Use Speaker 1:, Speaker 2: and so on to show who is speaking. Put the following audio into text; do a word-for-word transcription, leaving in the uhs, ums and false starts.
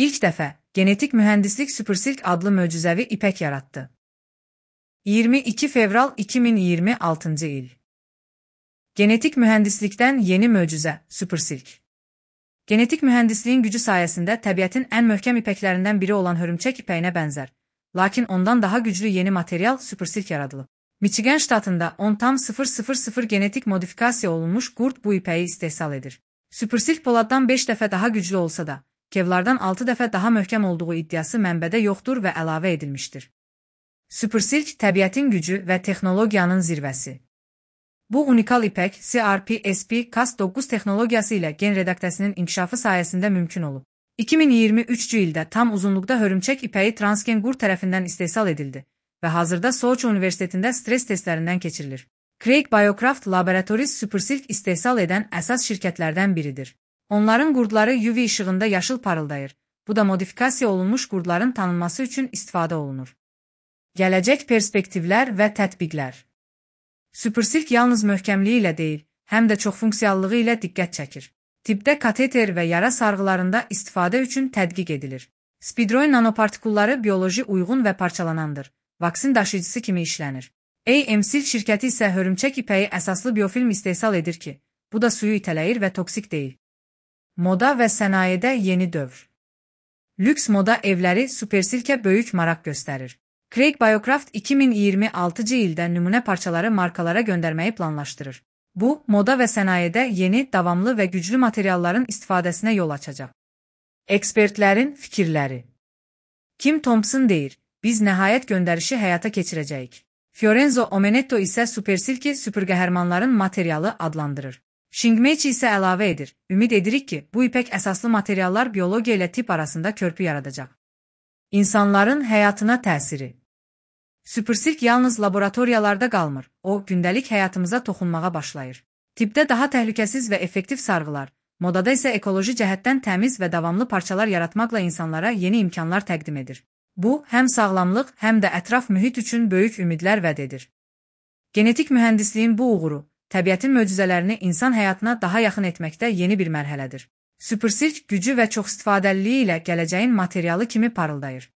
Speaker 1: İlk dəfə genetik mühəndislik Supersilk adlı möcüzəvi ipək yaratdı. iyirmi iki fevral iki min iyirmi altıncı il. Genetik mühəndislikdən yeni möcüzə Supersilk. Genetik mühəndisliyin gücü sayəsində təbiətin ən möhkəm ipəklərindən biri olan hörümçək ipəyinə bənzər, lakin ondan daha güclü yeni material Supersilk yaradılıb. Michigan ştatında on tam sıfır sıfır sıfır genetik modifikasiya olunmuş qurd bu ipəyi istehsal edir. Supersilk poladdan beş dəfə daha güclü olsa da, kevlardan altı dəfə daha möhkəm olduğu iddiası mənbədə yoxdur və əlavə edilmişdir. Supersilk təbiətin gücü və texnologiyanın zirvəsi. Bu unikal ipək C R P S P Cas doqquz texnologiyası ilə gen redaktəsinin inkişafı sayəsində mümkün olub. iki min iyirmi üçüncü ildə tam uzunluqda hörümçək ipəyi transgen qurd tərəfindən istehsal edildi və hazırda Sochi Universitetində stres testlərindən keçirilir. Craig Biocraft Laboratories Supersilk istehsal edən əsas şirkətlərdən biridir. Onların qurdları U V işığında yaşıl parıldayır. Bu da modifikasiya olunmuş qurdların tanınması üçün istifadə olunur. Gələcək perspektivlər və tətbiqlər. Supersilk yalnız möhkəmliyi ilə deyil, həm də çoxfunksiyallığı ilə diqqət çəkir. Tibbdə kateter və yara sarğılarında istifadə üçün tədqiq edilir. Spidroid nanopartikulları bioloji uyğun və parçalanandır. Vaksin daşıyıcısı kimi işlənir. A M Silk şirkəti isə hörümçək ipəyi əsaslı biofilm istehsal edir ki, bu da suyu itələyir və toksik deyil. Moda və sənayedə yeni dövr. Lüks moda evləri Supersilkə böyük maraq göstərir. Craig Biocraft iki min iyirmi altıncı ildə nümunə parçaları markalara göndərməyi planlaşdırır. Bu, moda və sənayedə yeni, davamlı və güclü materialların istifadəsinə yol açacaq. Ekspertlərin fikirləri. Kim Thompson deyir, biz nəhayət göndərişi həyata keçirəcəyik. Fiorenzo Omenetto isə Supersilki süpürqəhərmanların materialı adlandırır. Shingmechi isə əlavə edir, ümid edirik ki, bu ipək əsaslı materiallar biologiya ilə tibb arasında körpü yaradacaq. İnsanların həyatına təsiri. Supersilk yalnız laboratoriyalarda qalmır, o, gündəlik həyatımıza toxunmağa başlayır. Tibbdə daha təhlükəsiz və effektiv sarğılar, modada isə ekoloji cəhətdən təmiz və davamlı parçalar yaratmaqla insanlara yeni imkanlar təqdim edir. Bu, həm sağlamlıq, həm də ətraf mühit üçün böyük ümidlər vəd edir. Genetik mühəndisliyin bu uğuru, təbiətin möcüzələrini insan həyatına daha yaxın etməkdə yeni bir mərhələdir. Supersilk gücü və çoxistifadəliliyi ilə gələcəyin materialı kimi parıldayır.